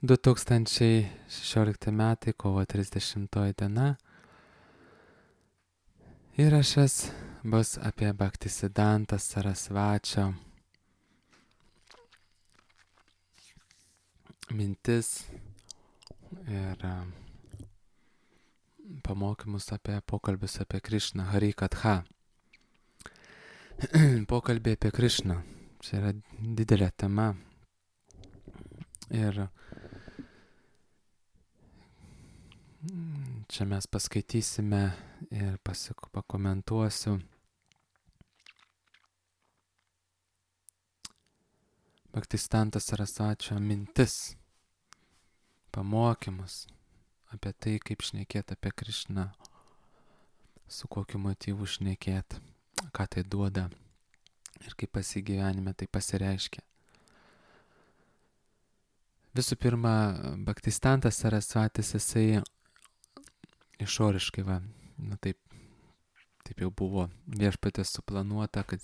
2016 metai, kovo 30 diena. Įrašas bus apie Bhaktisiddhanta Sarasvačio mintis ir pamokymus apie pokalbius apie Krišną, Harikatha. Pokalbiai apie Krišną. Čia yra didelė tema. Ir čia mes paskaitysime ir pakomentuosiu Bhaktisiddhanta Sarasvačio mintis, pamokymus apie tai, kaip šnekėti apie Krišną, su kokiu motyvu šnekėti, ką tai duoda ir kaip pasigyvenime tai pasireiškia. Visų pirma, Bhaktisiddhantas Sarasvatis, jisai išoriškai, taip jau buvo viešpatės suplanuota, kad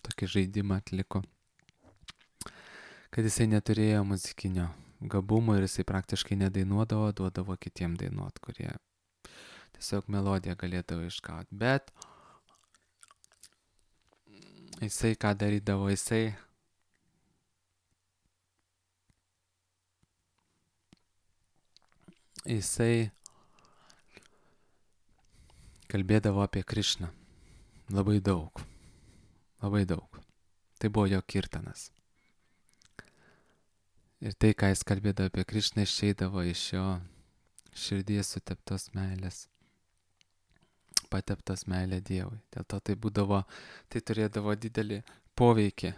tokį žaidimą atliko, kad jisai neturėjo muzikinio gabumo ir jisai praktiškai nedainuodavo, duodavo kitiem dainuot, kurie tiesiog melodiją galėdavo išgauti. Bet jisai ką darydavo, jisai kalbėdavo apie Krišną. Labai daug. Tai buvo jo kirtanas. Ir tai, ką jis kalbėdavo apie Krišną, išeidavo iš jo širdies suteptos meilės, pateptos meilė Dievui. Dėl to tai turėdavo didelį poveikį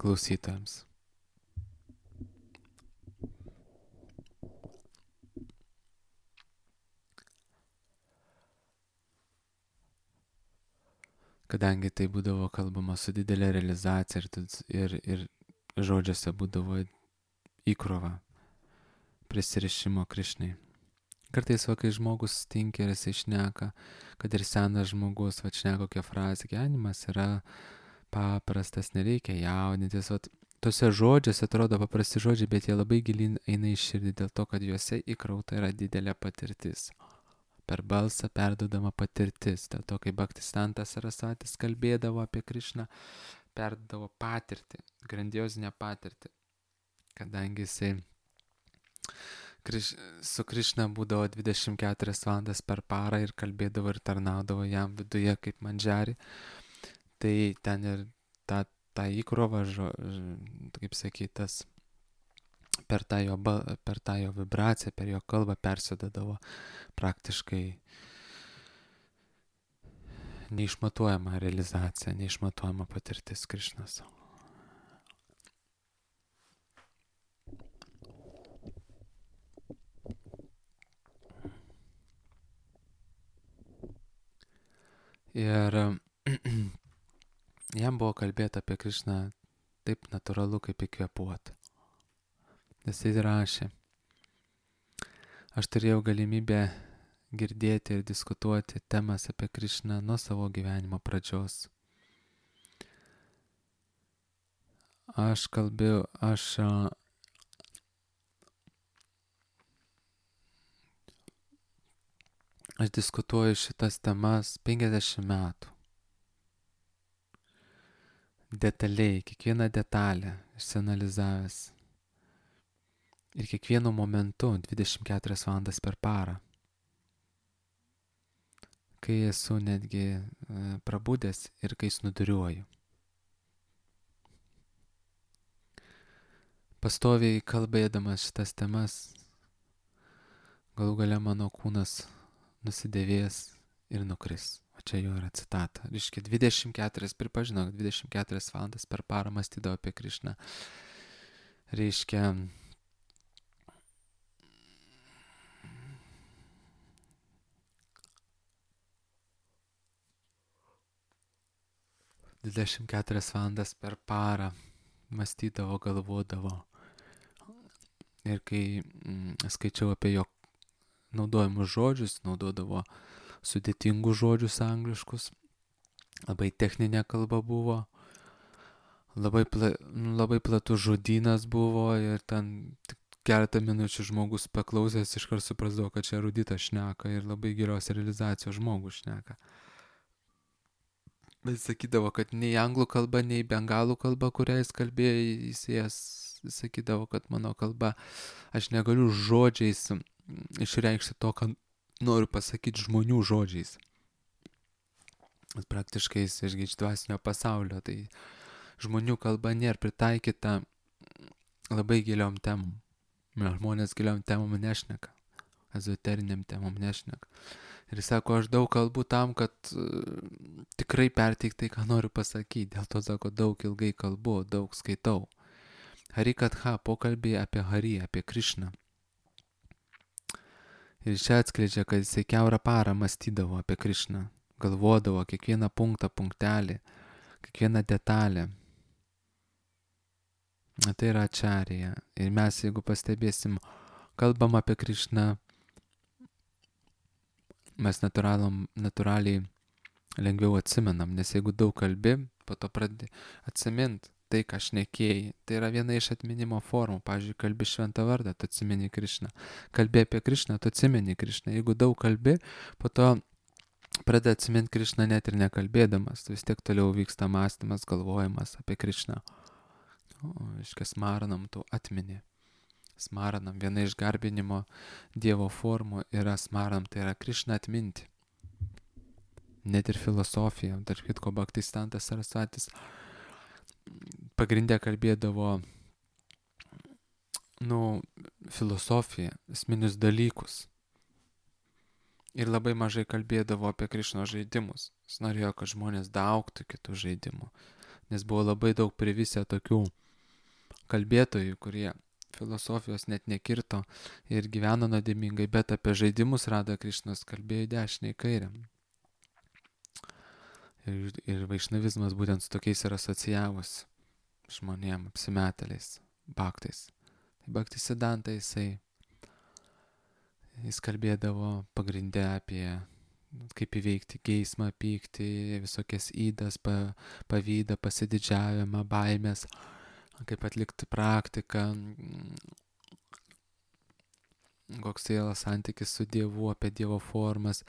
klausytojams. Kadangi tai būdavo kalbama su didelė realizacija ir žodžiuose būdavo įkrova prisirišimo Krišnai. Kartais, kai žmogus tinka ir jisai šneka, kad ir senas žmogus, šneka kokią frazę, gyvenimas yra paprastas, nereikia jaudintis. Tuose žodžiuose atrodo paprasti žodžiai, bet jie labai gilin eina į širdį dėl to, kad juose įkrauta yra didelė patirtis. Per balsą perdodama patirtis. Dėl to, kai Bhaktisiddhantas Sarasvatis kalbėdavo apie Krišną, perdodavo patirtį, grandiozinę patirtį. Kadangi jisai su Krišna būdavo 24 valandas per parą ir kalbėdavo ir tarnaudavo jam viduje kaip mandžari, tai ten ir tą įkrovą, kaip sakytas, per tą jo vibraciją, per jo kalbą persėdavo praktiškai neišmatuojama realizacija, neišmatuojama patirtis Krišnos. Ir jam buvo kalbėti apie Krišną taip natūralu, kaip įkvėpuoti. Jisai rašė: aš turėjau galimybę girdėti ir diskutuoti temas apie Krišną nuo savo gyvenimo pradžios. Aš diskutuoju šitas temas 50 metų. Detaliai, kiekvieną detalę išsianalizavęs. Ir kiekvienu momentu 24 valandas per parą. Kai esu netgi prabudęs ir kai snuduriuoju. Pastoviai kalbėdamas šitas temas, galų gale mano kūnas nusidėvės ir nukris. O čia jo yra citata. Reiškia, 24 valandas per parą mąstydavo apie Krišną. Reiškia, dvidešimt 4 valandas per parą mąstydavo, galvodavo. Ir kai skaičiau apie jo naudojimus žodžius, naudodavo sudėtingus žodžius angliškus, labai techninė kalba buvo, labai platus žodynas buvo ir ten tik keletą minučių žmogus paklausęs iškart suprasdavo, kad čia eruditas šneka ir labai gilios realizacijos žmogus šneka. Bet jis sakydavo, kad nei anglų kalba, nei bengalų kalba, kurią jis kalbėjo, jis sakydavo, kad mano kalba, aš negaliu žodžiais išreikšti to, ką noriu pasakyti žmonių žodžiais. Praktiškai jis iš dvasinio pasaulio, tai žmonių kalba nėra pritaikyta labai giliom temom. Žmonės giliom temom nešneka, ezoteriniam temom nešneka. Ir jis sako, aš daug kalbu tam, kad tikrai perteikti tai, ką noriu pasakyti. Dėl to, sako, daug ilgai kalbu, daug skaitau. Harikatha, pokalbiai apie Hari, apie Krišną. Ir čia atskleidžia, kad jisai kiaurą parą mąstydavo apie Krišną. Galvodavo kiekvieną punktą, punktelį, kiekvieną detalę. Tai yra ačarija. Ir mes, jeigu pastebėsim, kalbam apie Krišną, mes natūraliai lengviau atsimenam, nes jeigu daug kalbi, po to pradedi atsimint tai, ką šnekėjai. Tai yra viena iš atminimo formų. Pavyzdžiui, kalbi šventą vardą, tu atsimeni Krišną. Kalbi apie Krišną, tu atsimeni Krišną. Jeigu daug kalbi, po to pradedi atsimint Krišną net ir nekalbėdamas. Vis tiek toliau vyksta mąstymas, galvojimas apie Krišną. Iškia smaranam, tu atmini. Smaranam, viena iš garbinimo Dievo formų yra smaranam, tai yra Krišną atminti. Net ir filosofija, tarp kitko Bhaktisiddhantas Sarasvatis pagrindė kalbėdavo filosofiją, esminius dalykus. Ir labai mažai kalbėdavo apie Krišnos žaidimus. Jis norėjo, kad žmonės daugtų kitų žaidimų. Nes buvo labai daug privisę tokių kalbėtojų, kurie filosofijos net nekirto ir gyveno nuodėmingai, bet apie žaidimus Radha Krišnos kalbėjo dešinę į kairę. Ir vaišnavizmas būtent su tokiais ir asocijavosi žmonėm, apsimetėliais, bhaktais. Tai Bhaktisiddhanta jis kalbėdavo pagrindę apie kaip įveikti geismą, pyktį, visokias įdas, pavydą, pasididžiavimą, baimės, kaip atlikti praktiką, koks sielos santykis su Dievu, apie Dievo formas.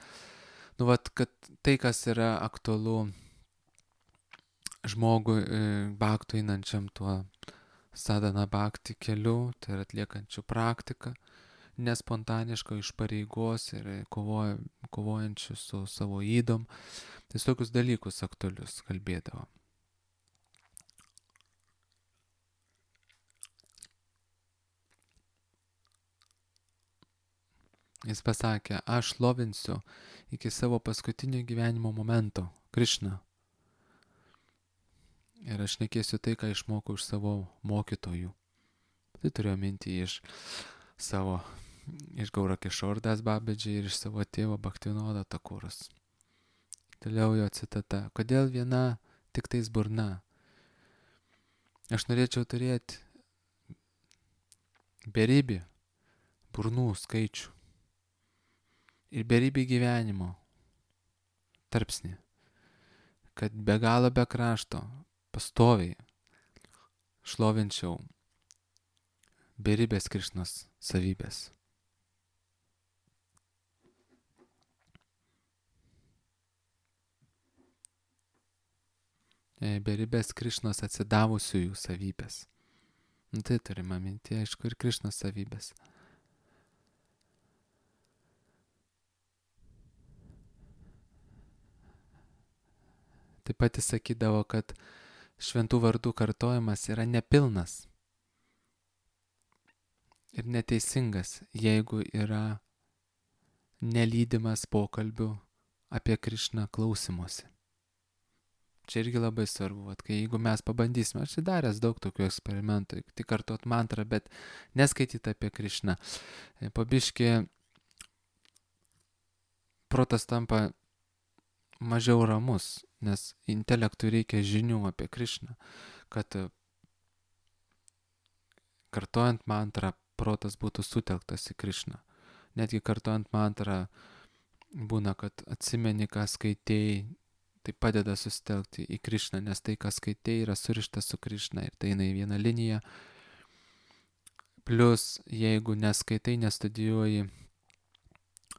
Kad tai, kas yra aktualu žmogui bhaktų einančiam tuo sadhana bhakti keliu, tai yra atliekančių praktiką, nespontaniško iš pareigos ir kovojančių su savo ydom. Tai tokius dalykus aktualius kalbėdavo. Jis pasakė, aš šlovinsiu iki savo paskutinio gyvenimo momento Krišną. Ir aš šnekėsiu tai, ką išmokau iš savo mokytojų. Tai turėjau mintį iš Gaurakishore Das Babaji ir iš savo tėvo Bhaktivinoda Thakuras. Toliau jo citata. Kodėl viena tik tais burna? Aš norėčiau turėti beribį burnų skaičių ir beribį gyvenimo tarpsnį, kad be galo be krašto pastoviai šlovinčiau beribės Krišnos savybės. Beribės Krišnos atsidavusiųjų savybės. Tai turime minti, aišku, ir Krišnos savybės. Taip pat jis sakydavo, kad šventų vardų kartojimas yra nepilnas ir neteisingas, jeigu yra nelydimas pokalbių apie Krišną klausymosi. Čia irgi labai svarbu, kai jeigu mes pabandysime, aš daręs daug tokių eksperimentų, tik kartot mantrą, bet neskaityti apie Krišną. Po biškį protas tampa mažiau ramus, nes intelektui reikia žinių apie Krišną, kad kartojant mantrą protas būtų sutelktas į Krišną. Netgi kartojant mantrą būna, kad atsimeni, ką skaitėjai, Tai padeda susitelkti į Krišną, nes tai, kas skaitai, yra surišta su Krišna ir tai eina į vieną liniją. Plius, jeigu neskaitai, nestudijuoji,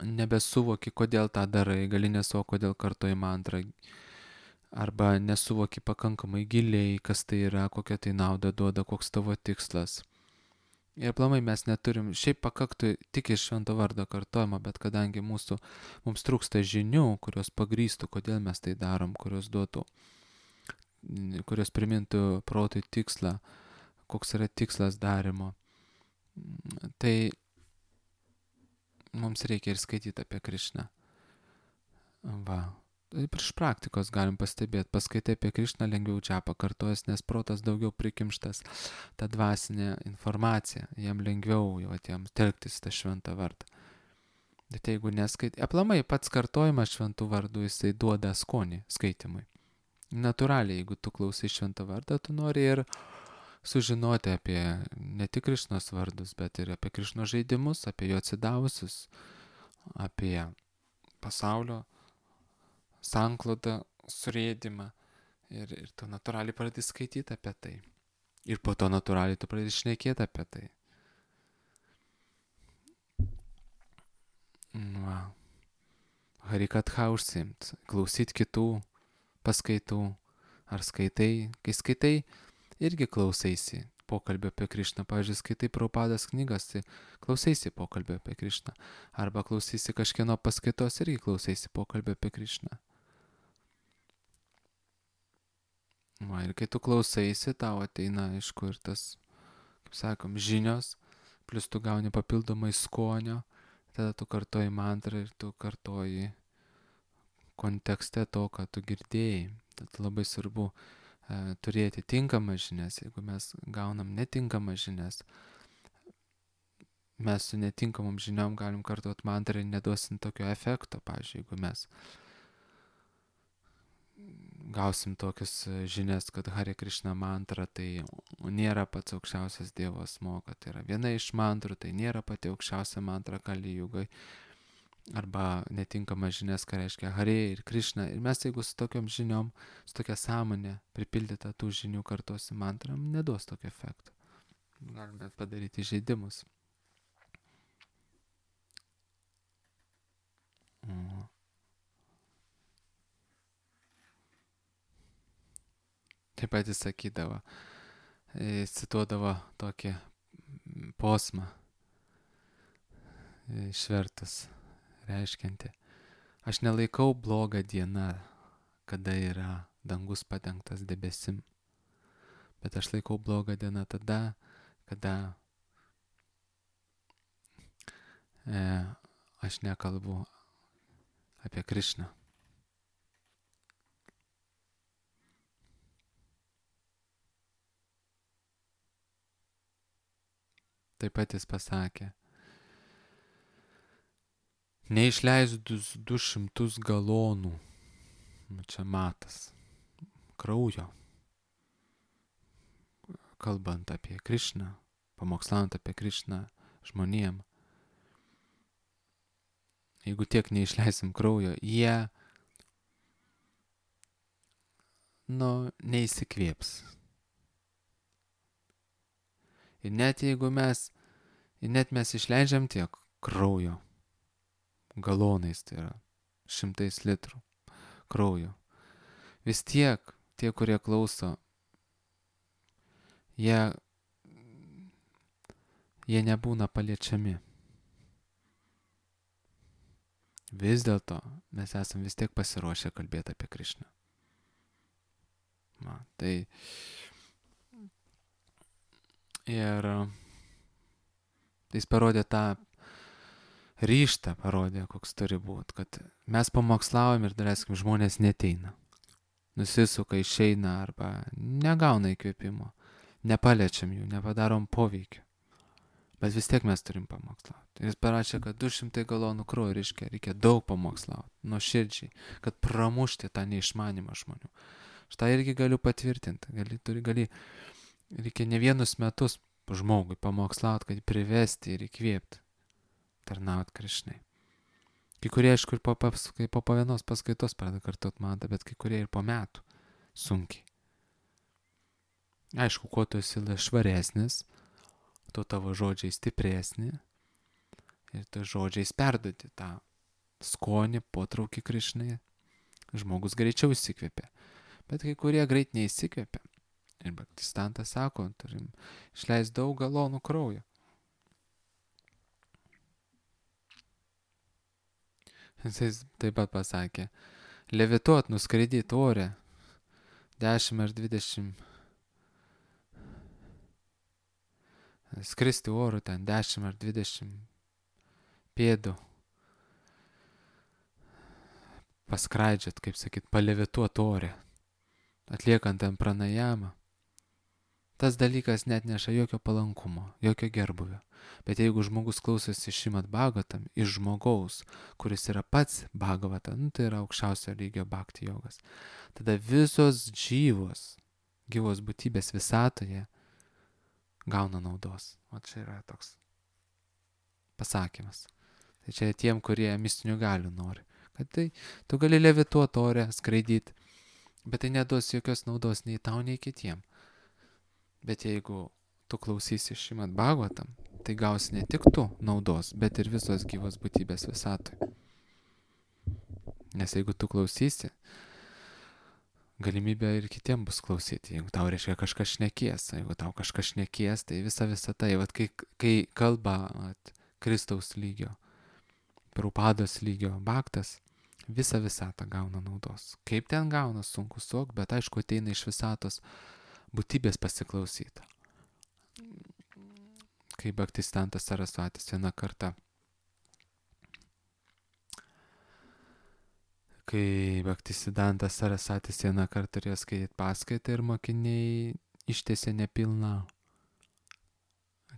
nebesuvoki, kodėl tą darai, gali nesuvokti, kodėl kartoji mantrą, arba nesuvoki pakankamai giliai, kas tai yra, kokią tai naudą duoda, koks tavo tikslas. Ir aplamai mes neturim, šiaip pakaktų tik iš švento vardo kartojimo, bet kadangi mums trūksta žinių, kurios pagrįstų, kodėl mes tai darom, kurios primintų protui tikslą, koks yra tikslas darimo, tai mums reikia ir skaityti apie Krišną. Va. Iš praktikos galim pastebėti, paskaitai apie Krišną lengviau čia pakartojas, nes protas daugiau prikimštas tą dvasinę informaciją, jam lengviau jau atėjams telktis tą šventą vardą. Bet jeigu neskaitai, aplamai pats kartojimas šventų vardų, jisai duoda skonį skaitimui. Natūraliai, jeigu tu klausai šventą vardą, tu nori ir sužinoti apie ne tik Krišnos vardus, bet ir apie Krišnos žaidimus, apie jo atsidavusius, apie pasaulio sanklodą, surėdimą ir tu natūraliai pradedi skaityti apie tai. Ir po to natūraliai tu pradedi šnekėti apie tai. Va. Harikatha užsiimt, klausyt kitų paskaitų, ar skaitai. Kai skaitai, irgi klausaisi pokalbio apie Krišną. Pavyzdžiui, skaitai Prabhupados knygas, tai klausaisi pokalbio apie Krišną. Arba klausaisi kažkieno paskaitos, irgi klausaisi pokalbio apie Krišną. Va, ir kai tu klausaisi, tau ateina, aišku, ir tas, kaip sakom, žinios, plus tu gauni papildomai skonio, tada tu kartoji mantrą ir tu kartoji kontekste to, ką tu girdėjai. Tad labai svarbu turėti tinkamas žinias. Jeigu mes gaunam netinkamas žinias, mes su netinkamom žiniom galim kartuoti mantrą ir neduosim tokio efekto. Pavyzdžiui, jeigu mes gausim tokius žinias, kad Hare Krishna mantra tai nėra pats aukščiausias Dievo asmuo, kad tai yra viena iš mantrų, tai nėra pati aukščiausia mantra Kali Jugai, arba netinkamas žinias, ką reiškia Hare ir Krishna. Ir mes jeigu su tokiom žiniom, su tokia sąmonė pripildyta tų žinių kartosim mantrą, neduos tokio efekto. Galime padaryti žaidimus. Taip pat jis sakydavo, cituodavo tokį posmą išvertus, reiškianti: aš nelaikau blogą dieną, kada yra dangus padengtas debesim, bet aš laikau blogą dieną tada, kada aš nekalbu apie Krišną. Taip pat jis pasakė: neišleidus 200 galonų, čia matas, kraujo, kalbant apie Krišną, pamokslant apie Krišną žmonėm, jeigu tiek neišleisim kraujo, jie neįsikvėps. Ir net jeigu mes išleidžiam tiek kraujo, galonais, tai yra 100 litrų kraujo, vis tiek tie, kurie klauso, jie nebūna paliečiami. Vis dėlto mes esam vis tiek pasiruošę kalbėti apie Krišną. Tai ir jis parodė tą ryžtą, koks turi būti, kad mes pamokslaujam ir daleiskim, žmonės neteina, nusisuka, išeina arba negauna įkvėpimo, nepaliečiam jų, nepadarom poveikio, bet vis tiek mes turim pamokslauti. Ir jis parašė, kad 200 galonų kraujo reikia daug pamokslauti, nuoširdžiai, kad pramušti tą neišmanimą žmonių. Štai irgi galiu patvirtinti, reikia ne vienus metus žmogui pamokslauti, kad privesti ir įkvėpti, tarnauti Krišnai. Kai kurie, aišku, ir po vienos paskaitos pradeda kartot mantą, bet kai kurie ir po metų sunkiai. Aišku, kuo tu esi švaresnis, tuo tavo žodžiai stipresni ir tu žodžiais perduoti tą skonį, potraukį Krišnai, žmogus greičiau įsikvėpia. Bet kai kurie greit neįsikvėpia. Ir Bhaktistantas sako, turim išleisti daug galonų kraujo. Jis taip pat pasakė, levituot, nuskraidyti ore 10 ar 20, skristi oru ten 10 ar 20 pėdų, paskraidžiat, kaip sakyt, palevituot ore, atliekant ten pranajamą. Tas dalykas net neša jokio palankumo, jokio gerbuvio. Bet jeigu žmogus klausosi Šrimad Bhagavatam iš žmogaus, kuris yra pats Bhagavata, tai yra aukščiausio lygio bhakti jogas, tada visos gyvos būtybės visatoje gauna naudos. O čia yra toks pasakymas. Tai čia tiem, kurie mistinių galių nori. Kad tai tu gali levituoti ore, skraidyti, bet tai neduos jokios naudos nei tau, nei kitiem. Bet jeigu tu klausysi Šrimad Bhagavatam, tai gausi ne tik tu naudos, bet ir visos gyvos būtybės visatoje. Nes jeigu tu klausysi, galimybė ir kitiem bus klausyti. Jeigu tau reiškia kažkas šnekės, jeigu tau kažkas šnekės, tai visa tai, kai kalba Kristaus lygio, Prabhupados lygio bhaktas, visa visata gauna naudos. Kaip ten gauna, sunku suvokti, bet aišku ateina iš visatos būtybės pasiklausyta. Kai Bhaktistantas Sarasvatis vieną kartą, turėjo skaityti paskaitą ir mokiniai ištiesė nepilną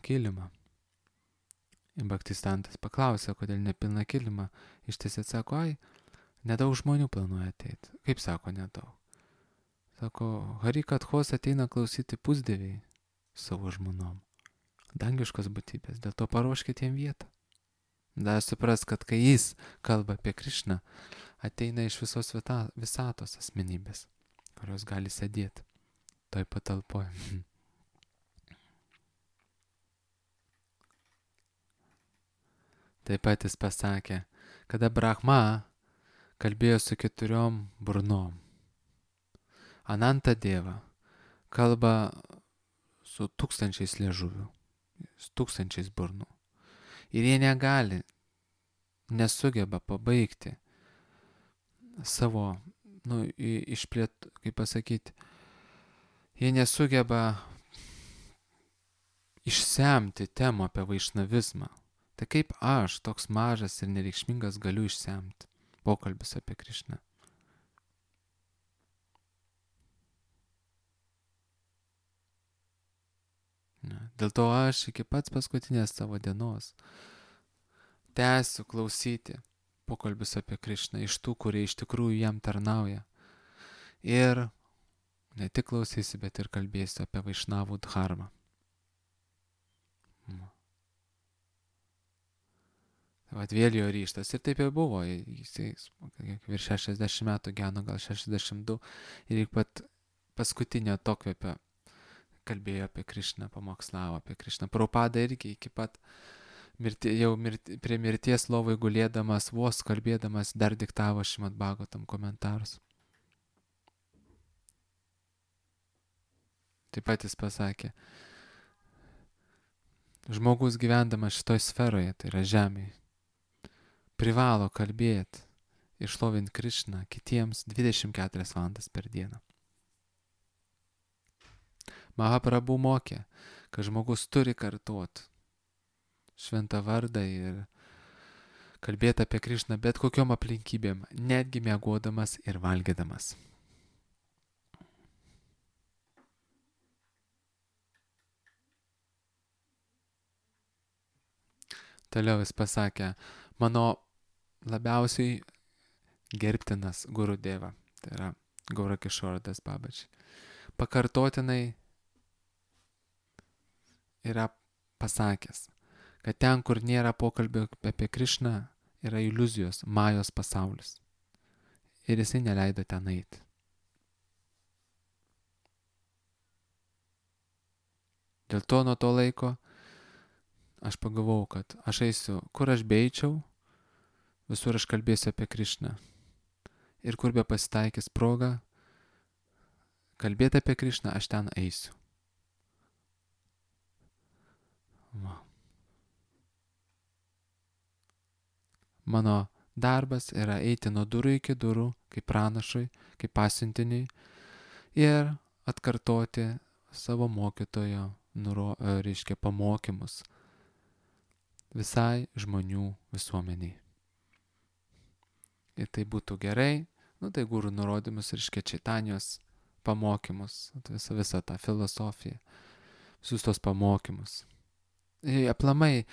kilimą. Bhaktistantas paklausė, kodėl nepilną kilimą ištiesė, sako, nedaug žmonių planuoja ateiti. Kaip sako, nedaug? Sako, Harikathos ateina klausyti pusdieviai savo žmonom, dangiškos būtybės, dėl to paruoškite jiem vietą. Dar supras, kad kai jis kalba apie Krišną, ateina iš visos visatos asmenybės, kurios gali sėdėti toj patalpoje. Taip pat jis pasakė, kada Brahma kalbėjo su 4 burnom, Ananta Deva kalba su 1000 liežuvių, 1000 burnų. Ir jie nesugeba pabaigti savo, kaip pasakyti, jie nesugeba išsemti temą apie vaišnavizmą. Tai kaip aš, toks mažas ir nereikšmingas, galiu išsemti pokalbis apie Krišną? Dėl to aš iki pats paskutinės savo dienos tęsiu klausyti pokalbis apie Krišną iš tų, kurie iš tikrųjų jam tarnauja. Ir ne tik klausysiu, bet ir kalbėsiu apie vaišnavų dharmą. Vat vėl jo ryštas. Ir taip jau buvo. Jisai virš 60 metų gyveno, gal 62. Ir iki pat paskutinio atokvėpio kalbėjo apie Krišną, pamokslavo apie Krišną. Prabhupada irgi iki pat prie mirties lovai gulėdamas, vos kalbėdamas, dar diktavo Šrimad Bhagavatam komentarus. Taip pat jis pasakė, žmogus gyvendamas šitoj sferoje, tai yra žemėje, privalo kalbėti ir šlovinti Krišną kitiems 24 valandas per dieną. Mahaprabhu mokė, kad žmogus turi kartuoti šventą vardą ir kalbėti apie Krišną bet kokiom aplinkybėm, netgi miegodamas ir valgydamas. Toliau jis pasakė, mano labiausiai gerbtinas Guru Deva, tai yra Gaura Kishora Das Babaji, pakartotinai yra pasakęs, kad ten, kur nėra pokalbio apie Krišną, yra iliuzijos, majos pasaulis. Ir jisai neleido ten eiti. Dėl to nuo to laiko aš pagalvojau, kad aš eisiu, kur aš beičiau, visur aš kalbėsiu apie Krišną. Ir kur be pasitaikys proga kalbėti apie Krišną, aš ten eisiu. Va. Mano darbas yra eiti nuo durų iki durų, kaip pranašui, kaip pasiuntiniui ir atkartoti savo mokytojo, reiškia, pamokymus visai žmonių visuomeniai. Ir tai būtų gerai, tai gurų nurodymus ir Čaitanijos pamokymus, visą tą filosofiją, visus tos pamokymus. Ir aplamai,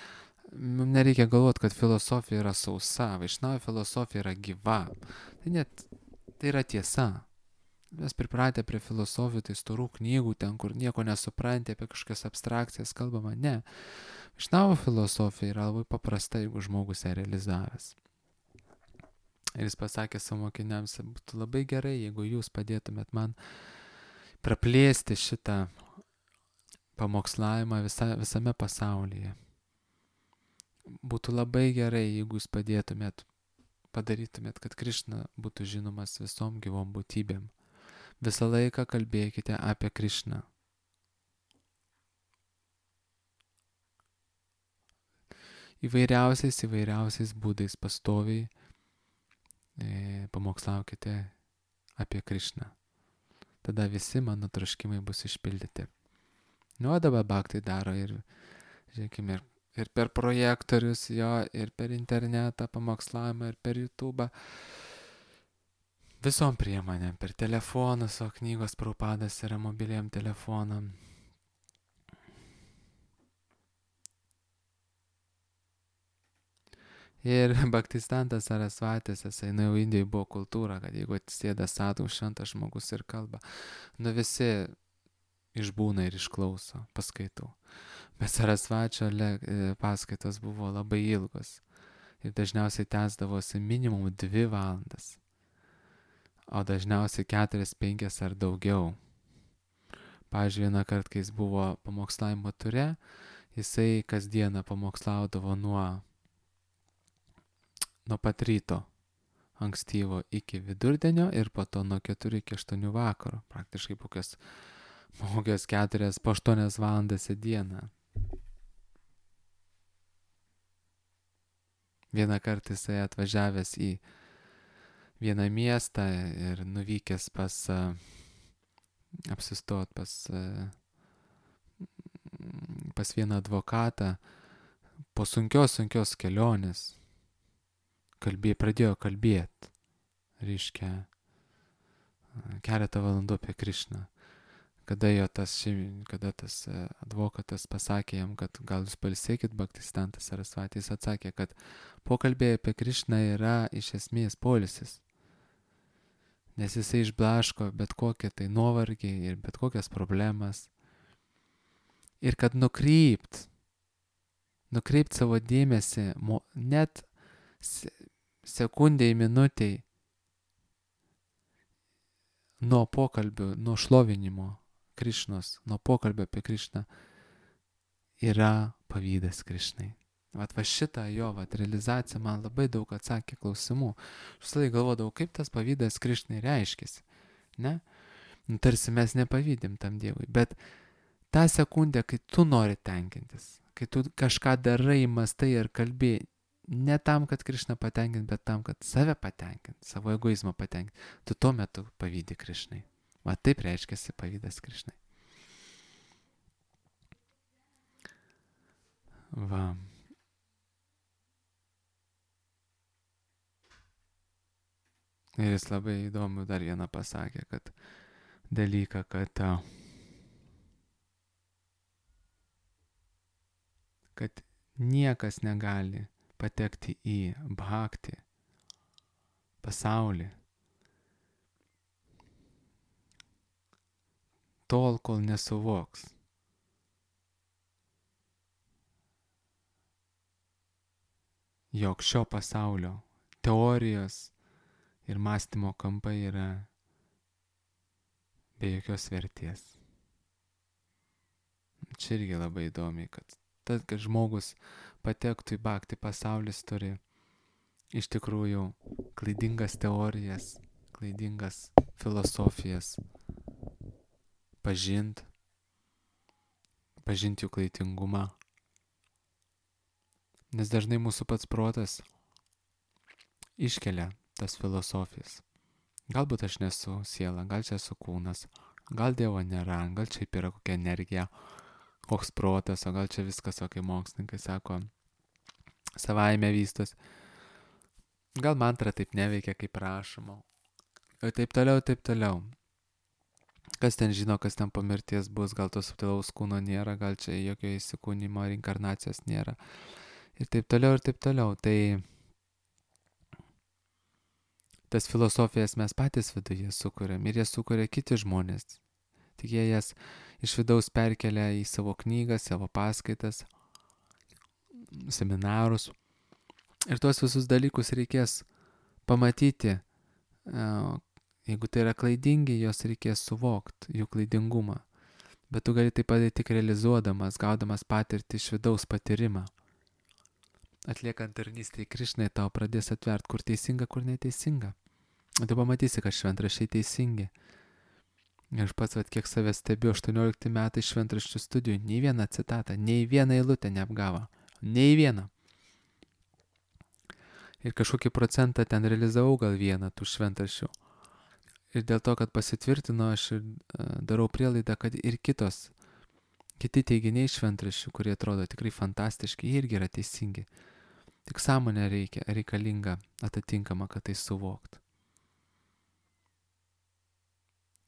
nereikia galvoti, kad filosofija yra sausa, Vaišnava filosofija yra gyva. Tai yra tiesa. Mes pripratę prie filosofijų, tai storų knygų, ten, kur nieko nesupranti, apie kažkokias abstrakcijas kalbama. Ne. Vaišnavo filosofija yra labai paprasta, jeigu žmogus ją realizavęs. Ir jis pasakė savo mokiniams, būtų labai gerai, jeigu jūs padėtumėt man praplėsti šitą pamokslavimą visame pasaulyje. Būtų labai gerai, jeigu jūs padarytumėt, kad Krišna būtų žinomas visom gyvom būtybėm. Visą laiką kalbėkite apie Krišną. Įvairiausiais būdais pastoviai pamokslaukite apie Krišną. Tada visi mano troškimai bus išpildyti. O dabar bhaktai daro ir, žiūrėkime, ir per projektorius jo, ir per internetą pamokslavimą, ir per YouTube. Visom priemonėm, per telefonus, o knygos Prabhupadas yra mobiliam telefonam. Ir Bhaktistantas Sarasvatis, jisai jau Indijoje buvo kultūra, kad jeigu atsisėda sadhu šventas žmogus ir kalba, visi išbūna ir išklauso paskaitų. Bet Sarasvačio paskaitos buvo labai ilgos ir dažniausiai tęsdavosi minimum 2 valandas, o dažniausiai 4, 5 ar daugiau. Pavyzdžiui, vieną kartą, kai jis buvo pamokslavimo ture, jisai kasdieną pamokslaudavo nuo pat ryto ankstyvo iki vidurdienio ir po to nuo 4 iki 8 vakaro. Praktiškai po 4, po 8 valandas į dieną. Vieną kartą jisai atvažiavęs į vieną miestą ir nuvykęs apsistot pas vieną advokatą, po sunkios kelionės pradėjo kalbėti, reiškia, keletą valandų apie Krišną. Kada tas advokatas pasakė jam, kad gal jūs pailsėkit, Bhaktistantas Sarasvatis atsakė, kad pokalbė apie Krišną yra iš esmės poilsis, nes jisai išblaško bet kokią tai nuovargį ir bet kokias problemas. Ir kad nukreipt savo dėmesį net sekundėjai, minutėjai nuo pokalbių, nuo šlovinimo Krišnos, nuo pokalbio apie Krišną yra pavydas Krišnai. Va šitą jo realizacija man labai daug atsakė klausimų. Aš visą laiką galvodavau, kaip tas pavydas Krišnai reiškiasi. Ne? Tarsi mes nepavydim tam Dievui. Bet tą sekundę, kai tu nori tenkintis, kai tu kažką darai, mastai ir kalbi, ne tam, kad Krišną patenkint, bet tam, kad save patenkint, savo egoizmą patenkint, tu tuo metu pavydi Krišnai. Va taip reiškiasi pavydas Krišnai. Va. Ir jis labai įdomu dar vieną pasakė, kad dalyką, kad niekas negali patekti į bhakti pasaulį tol, kol nesuvoks, jog šio pasaulio teorijos ir mąstymo kampai yra be jokios vertės. Čia irgi labai įdomi, kad žmogus patektų į bhakti pasaulis turi iš tikrųjų klaidingas teorijas, klaidingas filosofijas pažint jų klaidingumą. Nes dažnai mūsų pats protas iškelia tas filosofijas. Galbūt aš nesu siela, gal čia esu kūnas, gal Dievo nėra, gal čia yra kokia energija, koks protas, o gal čia viskas, o kai mokslininkai sako, savaime vystos. Gal mantra taip neveikia, kaip prašoma. Ir taip toliau. Kas ten žino, kas ten po mirties bus, gal to subtilaus kūno nėra, gal čia jokio įsikūnymo, reinkarnacijos nėra. Ir taip toliau. Tai tas filosofijas mes patys viduje sukuriam ir jas sukuria kiti žmonės. Tik jie jas iš vidaus perkelia į savo knygas, savo paskaitas, seminarus. Ir tuos visus dalykus reikės pamatyti. Jeigu tai yra klaidingi, jos reikės suvokti, jų klaidingumą. Bet tu gali tai padaryti tik realizuodamas, gaudamas patirtį iš vidaus patyrimą. Atliekant tarnystę į Krišną, tau pradės atvert, kur teisinga, kur neteisinga. Tu pamatysi, kad šventraščiai teisingi. Ir aš pats, kiek save stebiu, 18 metai šventraščių studijų, nei vieną citatą, nei vieną eilutę neapgavo. Nei vieną. Ir kažkokį procentą ten realizavau gal vieną tų šventraščių. Ir dėl to, kad pasitvirtino, aš ir darau prielaidą, kad ir kiti teiginiai šventraščių, kurie atrodo tikrai fantastiški, irgi yra teisingi. Tik sąmonė reikalinga atitinkama, kad tai suvokt.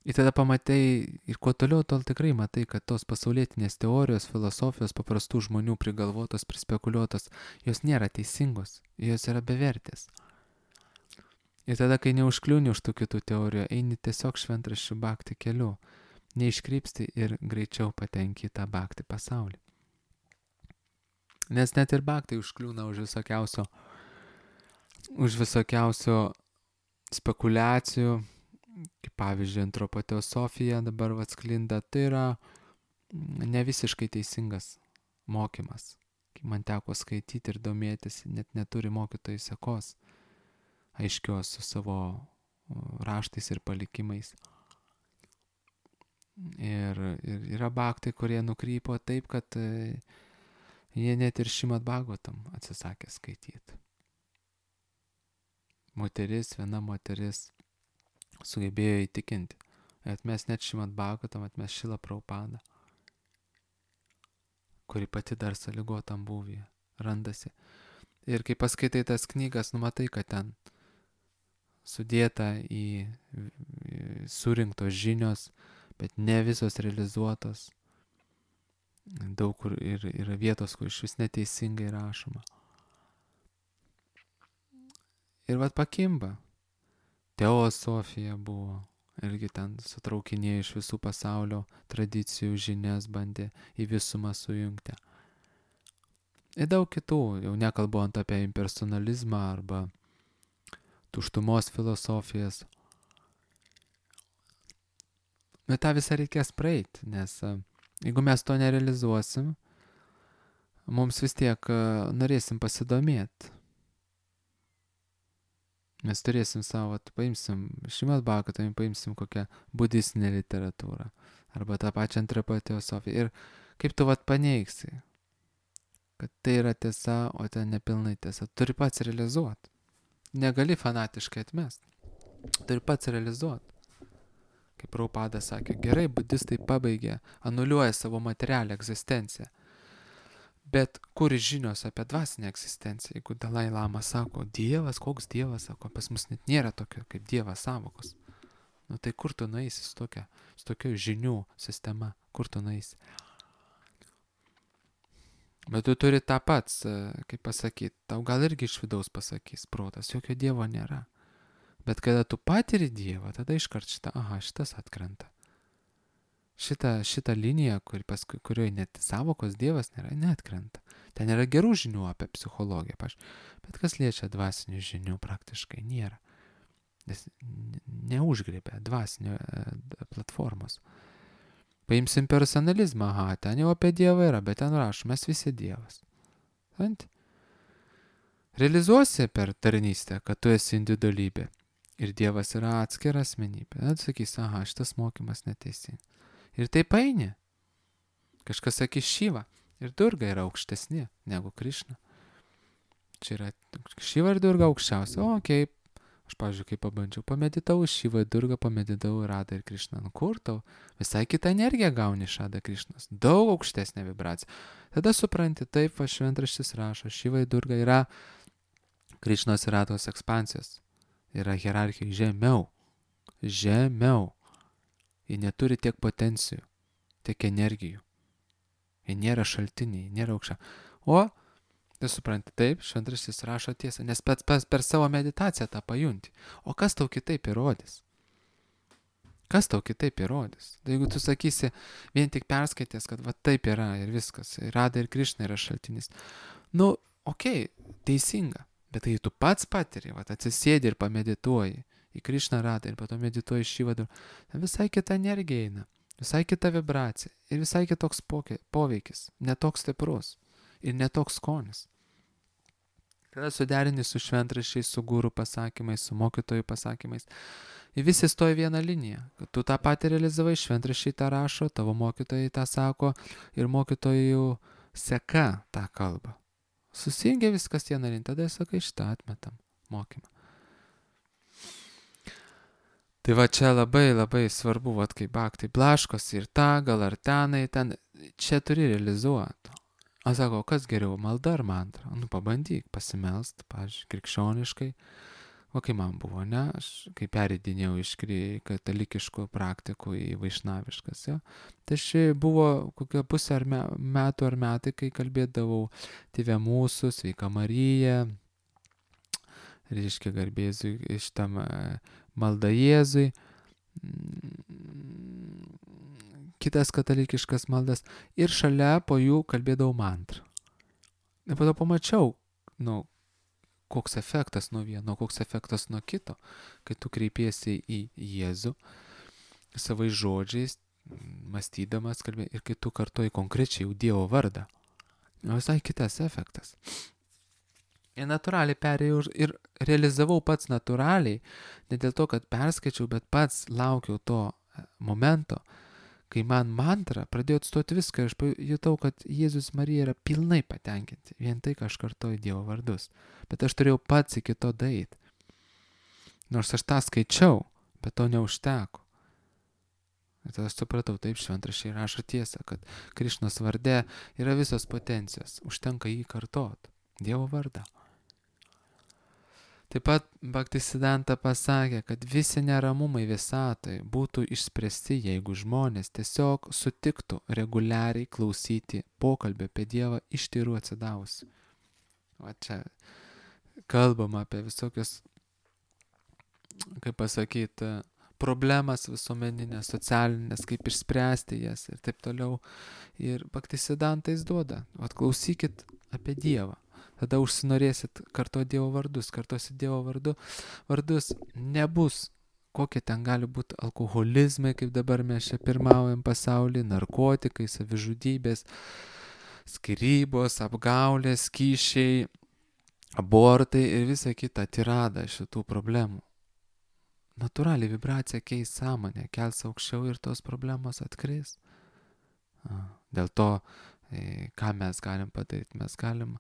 Ir tada pamatai, ir kuo toliau, tol tikrai matai, kad tos pasaulietinės teorijos, filosofijos, paprastų žmonių prigalvotos, prispekuliuotos, jos nėra teisingos, jos yra bevertės. Ir tada, kai neužkliūni už tų kitų teorijų, eini tiesiog šventraščių bhakti keliu, neiškrypsti ir greičiau patenki į tą bhakti pasaulį. Nes net ir bhaktai užkliūna už visokiausio spekulacijų, kaip pavyzdžiui, antropoteosofija dabar atsklinda, tai yra ne visiškai teisingas mokymas. Kai man teko skaityti ir domėtis, net neturi mokytojų sekos aiškios su savo raštais ir palikimais. Ir yra bhaktai, kurie nukrypo taip, kad jie net ir Šrimad Bhagavatam atsisakė skaityti. Viena moteris sugebėjo įtikinti. Atmes net Šrimad Bhagavatam, atmes Šrila Prabhupada, kuri pati dar sąlygotam būvyje randasi. Ir kai paskaitai tas knygas, numatai, kad ten sudėta į surinktos žinios, bet ne visos realizuotos. Daug kur ir yra vietos, kur iš vis neteisingai rašoma. Ir pakimba. Teosofija buvo. Irgi ten sutraukinėjo iš visų pasaulio tradicijų žinias, bandė į visumą sujungti. Ir daug kitų, jau nekalbant apie impersonalizmą arba tuštumos filosofijas. Bet tą visą reikės praeiti, nes jeigu mes to nerealizuosim, mums vis tiek norėsim pasidomėti. Mes turėsim savo, paimsim Šrimad Bhagavatam, paimsim kokią budistinę literatūrą arba tą pačią antropoteosofiją. Ir kaip tu paneigsi, kad tai yra tiesa, o ten nepilnai tiesa. Turi pats realizuoti. Negali fanatiškai atmesti. Turi pats realizuoti. Kaip Prabhupada sakė, gerai, budistai pabaigė, anuliuoja savo materialią egzistenciją. Bet kur žinios apie dvasinę egzistenciją? Jeigu Dalai Lama sako, Dievas, koks Dievas, sako, pas mus net nėra tokio kaip Dievas sąvokos. Tai kur tu nueisi su tokia žinių sistema? Kur tu nueisi? Bet tu turi tą pats, kaip pasakyti, tau gal irgi iš vidaus pasakys protas, jokio Dievo nėra. Bet kada tu patiri Dievą, tada iškart šitas atkrenta. Šitą liniją, kurioje net sąvokos Dievas nėra, neatkrenta. Ten yra gerų žinių apie psichologiją, bet kas liečia dvasinių žinių praktiškai nėra. Nes neužgrėbė dvasinio platformos. Paimsim personalizmą, ten jau apie Dievą yra, bet ten rašo, mes visi Dievas. Ant? Realizuosi per tarnystę, kad tu esi individualybė ir Dievas yra atskira asmenybė. Sakys, šitas mokymas neteisingas. Ir taip eini. Kažkas sakys Šiva ir Durga yra aukštesni negu Krišna. Čia yra Šiva ir Durga aukščiausia. Aš, pavyzdžiui, kai pabandžiau, pameditau Šivą ir Durga, pameditau Radą ir Krišną. Kur tau? Visai kitą energiją gauni iš Rada Krišnos. Daug aukštesnė vibracija. Tada supranti, taip, šventraštis rašo, Šiva ir Durga yra Krišnos ir Rados ekspansijos. Yra hierarchija žemiau. Žemiau. Jie neturi tiek potencijų, tiek energijų. Jie nėra šaltiniai, nėra aukščia. O, tu supranti, taip, šventraštis rašo tiesą, nes pats per savo meditaciją tą pajunti. O kas tau kitaip įrodys? Kas tau kitaip įrodys? Tai jeigu tu sakysi, vien tik perskaitęs, kad va taip yra ir viskas, Rada ir Krišna yra šaltinis. Teisinga. Bet tai tu pats patiri, atsisėdi ir pamedituoji į Krišną, Radą ir po to medituoji Šivą, visai kita energija eina, visai kita vibracija ir visai kitoks poveikis, netoks stiprus ir netoks skonis. Kada suderini su šventraščiais, su guru pasakymais, su mokytojų pasakymais, ir visi stoja vieną liniją, kad tu tą patį realizavai, šventraščiai tą rašo, tavo mokytojai tą sako ir mokytojų seka tą kalbą. Susijungia viskas vieną liniją, tada sakai, šitą atmetam mokymą. Tai va čia labai labai svarbu, kaip baktai blaškosi ir gal ar tenai, čia turi realizuoti. Aš sakau, kas geriau, malda ar mantra? Pabandyk pasimelst, pavyzdžiui, krikščioniškai. O kai man buvo, aš kai peridinėjau iš katalikiškų praktikų į vaišnaviškas, tai buvo kokia pusė metų ar metai, kai kalbėdavau Tėve mūsų, Sveika Marija, reiškia garbėzui iš tam malda Jėzui, kitas katalikiškas maldas ir šalia po jų kalbėdavau mantrą. Ir po to pamačiau, koks efektas nuo vieno, koks efektas nuo kito, kai tu kreipiesi į Jėzų savais žodžiais, mąstydamas, ir kai tu kartoji konkrečiai jau Dievo vardą. Visai kitas efektas. Ir natūraliai perėjau ir realizavau pats natūraliai, ne dėl to, kad perskaičiau, bet pats laukiau to momento, kai man mantra pradėjo atstoti viską ir aš pajutau, kad Jėzus Marija yra pilnai patenkinti, vien tai, ką aš kartoju Dievo vardus. Bet aš turėjau pats iki to daeiti. Nors aš tą skaičiau, bet to neužteko. Ir tada aš supratau, taip šventraščiai rašo tiesą, kad Krišnos varde yra visos potencijos, užtenka jį kartot, Dievo vardą. Taip pat Bhaktisiddhanta pasakė, kad visi neramumai visatoje būtų išspręsti, jeigu žmonės tiesiog sutiktų reguliariai klausyti pokalbio apie Dievą iš tyrų atsidavusių. Va čia kalbama apie visokias, kaip pasakyti, problemas visuomeninės, socialinės, kaip išspręsti jas ir taip toliau. Ir Bhaktisiddhantais duoda, klausykit apie Dievą. Tada užsinorėsit kartuoti Dievo vardus, kartuosit Dievo vardus, nebus, kokie ten gali būti alkoholizmai, kaip dabar mes čia pirmaujam pasaulyje, narkotikai, savižudybės, skyrybos, apgaulės, kyšiai, abortai ir visa kita tirada šitų problemų. Natūraliai vibracija keis sąmonę, kels aukščiau ir tos problemos atkris. Dėl to, ką mes galim padaryti, mes galim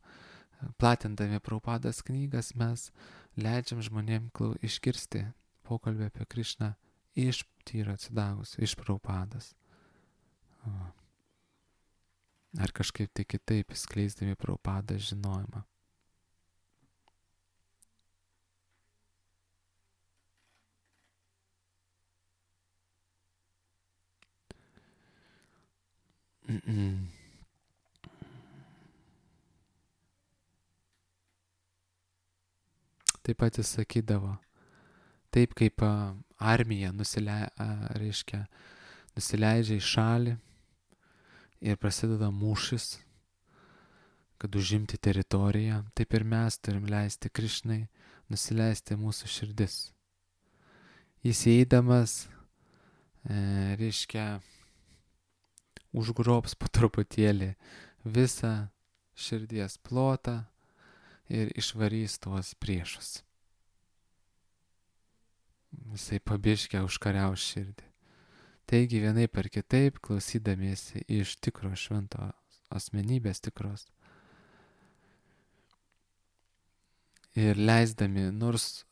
platindami Prabhupados knygas, mes leidžiam žmonėm išgirsti pokalbį apie Krišną iš tyro atsidavusio, iš Prabhupados. Ar kažkaip tai kitaip skleisdami Prabhupados žinojimą. Taip pat jis sakydavo, taip kaip armija nusileidžia į šalį ir prasideda mūšis, kad užimti teritoriją, taip ir mes turim leisti Krišnai nusileisti mūsų širdis. Jis įeidamas, reiškia, užgrobs po truputėlį visą širdies plotą ir išvarys tuos priešus. Jisai pabiškę užkariaus širdį. Taigi vienaip ar kitaip, klausydamiesi iš tikro švento asmenybės tikros ir leisdami nors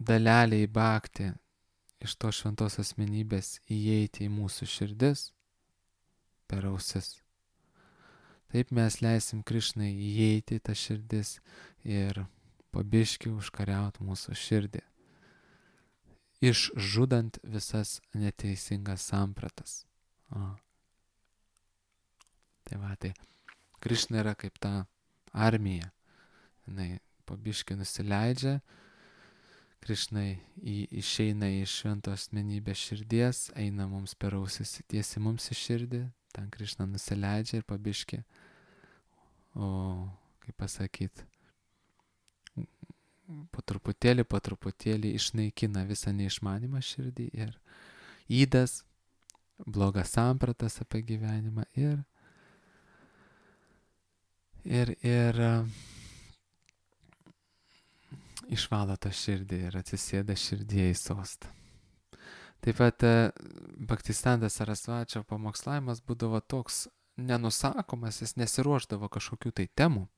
dalelę į baktį iš to šventos asmenybės įeiti į mūsų širdis per ausis. Taip mes leisim Krišnai įeiti į tą širdis ir pabiški užkariauti mūsų širdį, išžudant visas neteisingas sampratas. Tai va, tai Krišna yra kaip ta armija. Jinai pabiški nusileidžia, Krišnai išeina iš švento asmenybės širdies, eina mums per ausis, tiesi mums į širdį, ten Krišna nusileidžia ir pabiški, kaip pasakyt, po truputėlį išnaikina visą neišmanimą širdį ir įdas, blogas sampratas apie gyvenimą ir išvalo tą širdį ir atsisėda širdyje į sostą. Taip pat Bhaktisiddhanta Sarasvačio pamokslavimas būdavo toks nenusakomas, jis nesiruošdavo kažkokių tai temų.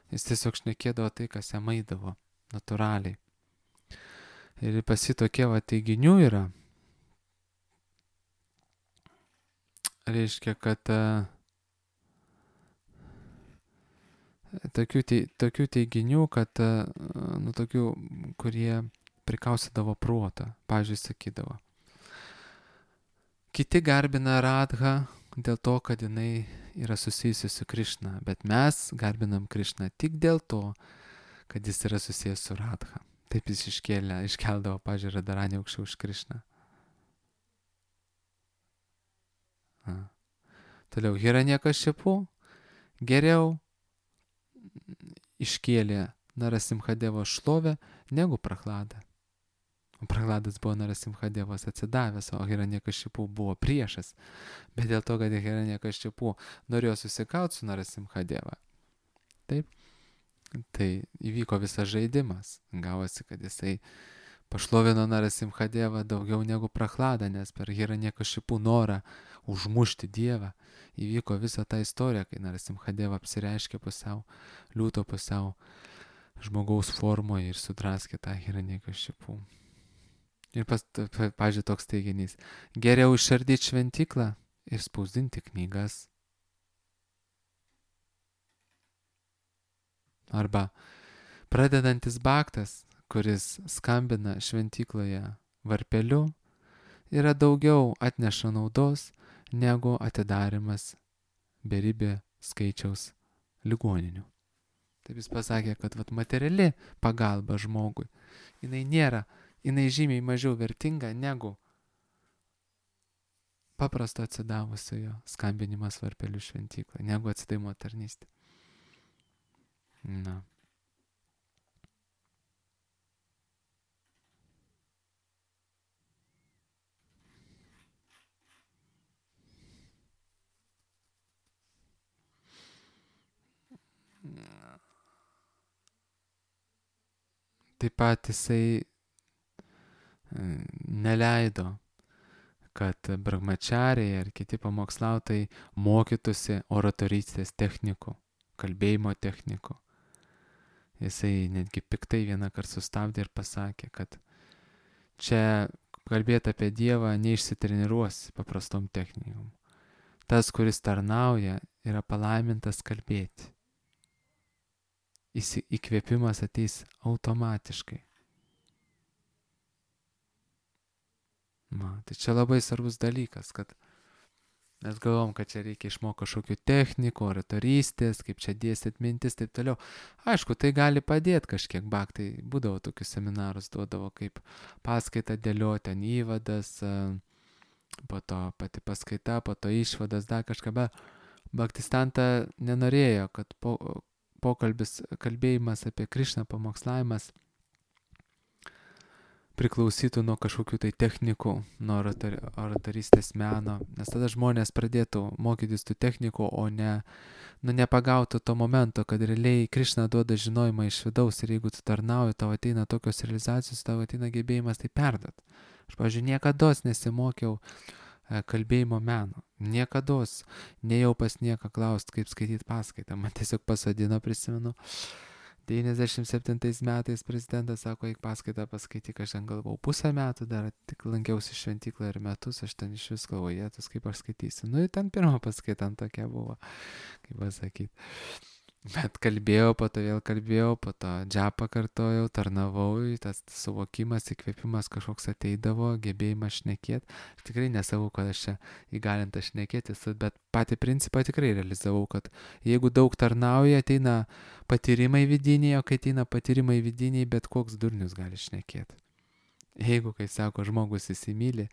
Jis tiesiog šnekėdavo tai, kas jam eidavo natūraliai. Ir pas jį tokie teiginių yra. Reiškia, kad tokių teiginių, kad, tokių, kurie prikaustydavo protą. Pavyzdžiui, sakydavo. Kiti garbina Radhą dėl to, kad jinai yra susijusi su Krišna, bet mes garbinam Krišną tik dėl to, kad jis yra susijęs su Radha. Taip jis iškeldavo, pavyzdžiui, Radharanį aukščiau už Krišną. Toliau, Hiranyakashipu geriau iškėlė Narasimhadevo šlovę negu Prahlada. Prahladas buvo Narasimhadevas atsidavęs, o Hiranyakashipu buvo priešas. Bet dėl to, kad Hiranyakashipu norėjo susikauti su Narasimhadeva. Taip. Tai įvyko visas žaidimas. Gavosi, kad jisai pašlovino Narasimhadevą daugiau negu Prahladą, nes per Hiranyakashipu norą užmušti Dievą įvyko visa ta istorija, kai Narasimhadeva apsireiškė pusiau liūto, pusiau žmogaus formoje ir sudraskė tą Hiranyakashipu. Ir pavyzdžiui, toks teiginys. Geriau išardyti šventyklą ir spausdinti knygas. Arba pradedantis bhaktas, kuris skambina šventykloje varpeliu, yra daugiau atneša naudos negu atidarimas beribė skaičiaus ligoninių. Taip jis pasakė, kad materiali pagalba žmogui, jinai žymiai mažiau vertinga negu paprasto atsidavusiojo skambinimas varpeliu šventykloje, negu atsidavimo tarnystė. Na. Taip pat jisai neleido, kad brahmachariai ar kiti pamokslautojai mokytųsi oratorystės technikų, kalbėjimo technikų. Jisai netgi piktai vieną kartą sustabdė ir pasakė, kad čia kalbėti apie Dievą neišsitreniruosi paprastom technikom. Tas, kuris tarnauja, yra palaimintas kalbėti. Įkvėpimas ateis automatiškai. Tai čia labai svarbus dalykas, kad mes galvom, kad čia reikia išmokti kažkokių technikų, oratorystės, kaip čia dėstyti mintis, taip toliau. Aišku, tai gali padėti kažkiek bhaktai. Būdavo tokius seminarus, duodavo kaip paskaitą dėlioti, ten įvadas, po to pati paskaita, po to išvadas, dar kažką, bet Bhaktistanta nenorėjo, kad kalbėjimas apie Krišną, pamokslavimas priklausytų nuo kažkokių tai technikų, nuo oratorystės meno, nes tada žmonės pradėtų mokytis tų technikų, o nepagautų to momento, kad realiai Krišna duoda žinojimą iš vidaus ir jeigu tu tarnauji, tau ateina tokios realizacijos, tau ateina gebėjimas tai perduot. Aš, pavyzdžiui, niekados nesimokiau kalbėjimo meno, niekados, nejau pas nieką klaust, kaip skaityti paskaitą, man tiesiog pasodino, prisimenu, 97 metais prezidentas sako, eik paskaitą paskaityk, aš ten galvau pusę metų, dar tik lankiausi šventyklą ir metus, aš ten iš vis galvoju, jėtus, kaip aš skaitysiu. Nu, ten pirmą paskaitą tokia buvo, kaip pasakyti. Bet kalbėjau, po to vėl kalbėjau, po to džapą kartojau, tarnavau, tas suvokimas, įkvėpimas kažkoks ateidavo, gebėjimas šnekėti. Aš tikrai nesavau, kad aš čia įgalintas šnekėtis, bet patį principą tikrai realizavau, kad jeigu daug tarnauja, ateina patyrimai vidiniai, o kai ateina patyrimai vidiniai, bet koks durnius gali šnekėti. Jeigu, kai sako, žmogus įsimyli,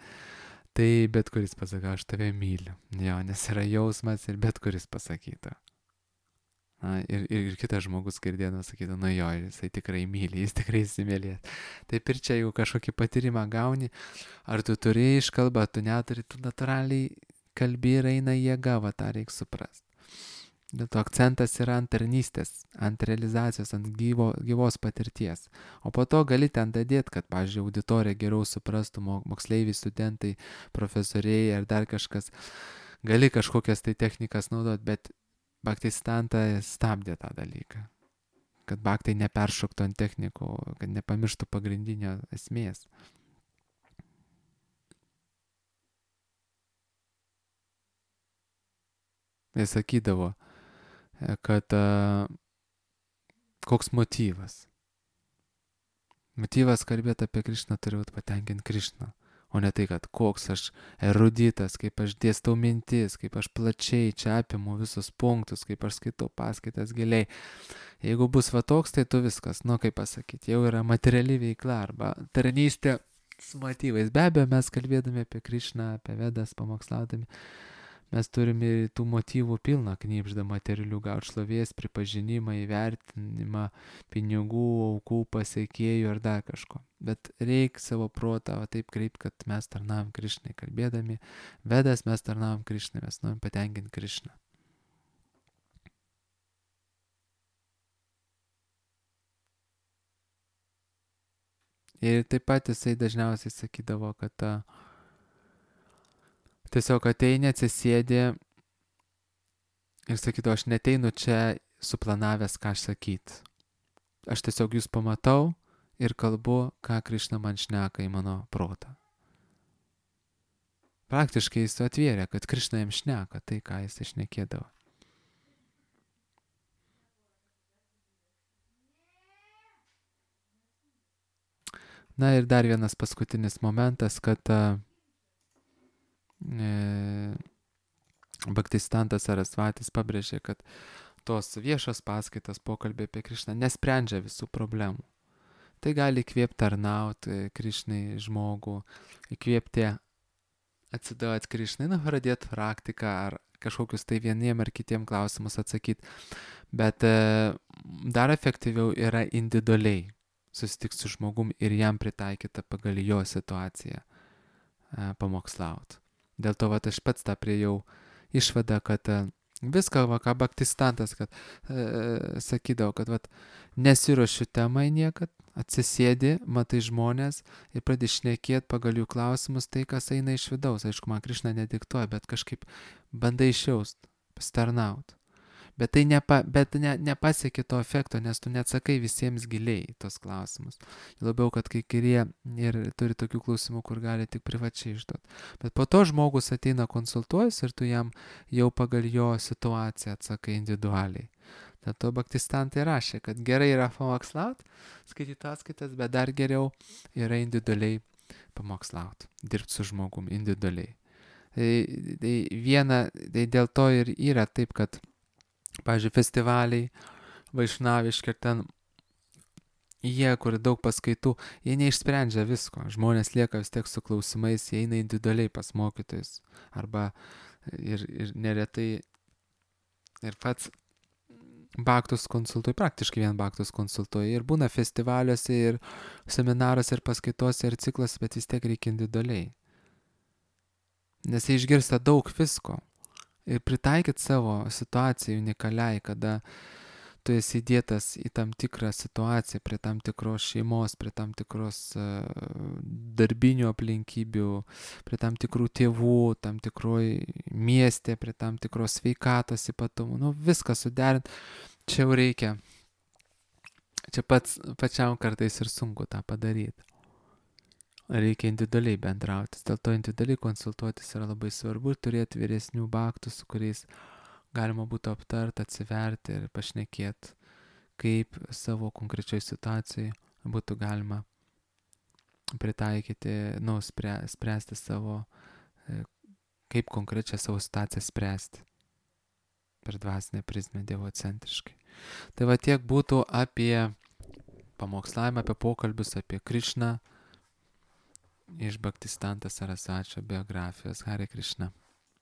tai bet kuris pasako, aš tave myliu. Jo, nes yra jausmas ir bet kuris pasakytų. Ir kitas žmogus girdėdamas sakytų, nu jo, jisai tikrai myli, jis tikrai įsimylės. Taip ir čia, jeigu kažkokį patyrimą gauni, ar tu turi iškalbą, tu neturi, tu natūraliai kalbi ir eina jėga, va tą reikia suprasti. Dėl to akcentas yra ant tarnystės, ant realizacijos, ant gyvos patirties. O po to gali ten dadėti, kad, pavyzdžiui, auditorija geriau suprastų, moksleiviai, studentai, profesoriai ar dar kažkas. Gali kažkokias tai technikas naudoti, bet Bhaktistanta stabdė tą dalyką, kad bhaktai neperšoktų ant technikų, kad nepamirštų pagrindinio esmės. Jis sakydavo, kad koks motyvas. Motyvas kalbėti apie Krišną turi būti patenkinti Krišną. O ne tai, kad koks aš eruditas, kaip aš dėstau mintis, kaip aš plačiai čia apimu visus punktus, kaip aš skaitau paskaitas giliai. Jeigu bus va toks, tai tu viskas, nu kaip pasakyti, jau yra materiali veikla arba tarnystė su motyvais. Be abejo, mes kalbėdami apie Krišną, apie Vedas, pamokslaudami, mes turime tų motyvų pilną knybždą materialių, gauti šlovės, pripažinimą, įvertinimą, pinigų, aukų, pasiekėjų ar dar kažko. Bet reikia savo protą taip kreipti, kad mes tarnavom Krišnai. Kalbėdami Vedas, mes tarnavom Krišnai, mes norim patenkinti Krišną. Ir taip pat jisai dažniausiai sakydavo, kad tiesiog ateini, atsisėdi ir sakydavo, aš neteinu čia suplanavęs, ką aš sakyt. Aš tiesiog jūs pamatau ir kalbu, ką Krišna man šneka į mano protą. Praktiškai jis atvėrė, kad Krišna jam šneka tai, ką jis šnekėdavo. Na ir dar vienas paskutinis momentas, kad Bhaktisiddhanta Sarasvatis pabrėžė, kad tos viešos paskaitos, pokalbiai apie Krišną nesprendžia visų problemų. Tai gali įkvėpti tarnauti Krišnai žmogų, įkvėpti atsiduoti Krišnai, pradėti praktiką ar kažkokius tai vieniem ar kitiem klausimus atsakyti. Bet dar efektyviau yra individualiai susitikti su žmogum ir jam pritaikyta pagal jo situaciją pamokslauti. Dėl to aš pats tą priejau išvadą, kad viską, ką Bhaktisiddhantas sakydavo, kad nesiruošiu temai niekad, atsisėdi, matai žmonės ir pradedi šnekėti pagal jų klausimus tai, kas eina iš vidaus. Aišku, man Krišna nediktuoja, bet kažkaip bandai išjaust, pasitarnaut. Bet tai nepasiekia to efekto, nes tu neatsakai visiems giliai tos klausimus. Labiau, kad kai kurie ir turi tokių klausimų, kur gali tik privačiai išduoti. Bet po to žmogus ateina konsultuojas ir tu jam jau pagal jo situaciją atsakai individualiai. Dėl to Bhaktisiddhanta rašė, kad gerai yra pamokslaut, skaityti paskaitas, bet dar geriau yra individualiai pamokslaut, dirbti su žmogum individualiai. Tai dėl to ir yra taip, kad pavyzdžiui, festivaliai, vaišnaviški ir ten jie, kur daug paskaitų, jie neišsprendžia visko. Žmonės lieka vis tiek su klausimais, jie eina individualiai pas mokytojus. Arba ir neretai Ir pats Baktus konsultuoju, praktiškai vien Baktus konsultuoju. Ir būna festivaliuose, ir seminaruose, ir paskaitose, ir ciklas, bet vis tiek reikia individualiai. Nes jie išgirsta daug visko. Ir pritaikyti savo situacijai unikaliai, kada tu esi įdėtas į tam tikrą situaciją, prie tam tikros šeimos, prie tam tikros darbinių aplinkybių, prie tam tikrų tėvų, tam tikroj mieste, prie tam tikros sveikatos ypatumų. Nu, viską suderint, čia jau reikia. Čia pačiam kartais ir sunku tą padaryti. Reikia individualiai bendrautis. Dėl to individualiai konsultuotis yra labai svarbu ir turėti vyresnių baktų, su kuriais galima būtų aptart, atsiverti ir pašnekėti, kaip savo konkrečioj situacijai būtų galima pritaikyti, spręsti savo, kaip konkrečią savo situaciją spręsti per dvasinę prizmę dievocentriškai. Tai va tiek būtų apie pamokslavimą, apie pokalbius, apie Krišną iš Bhaktisiddhanta Sarasvatio biografijos. Hare Krishna.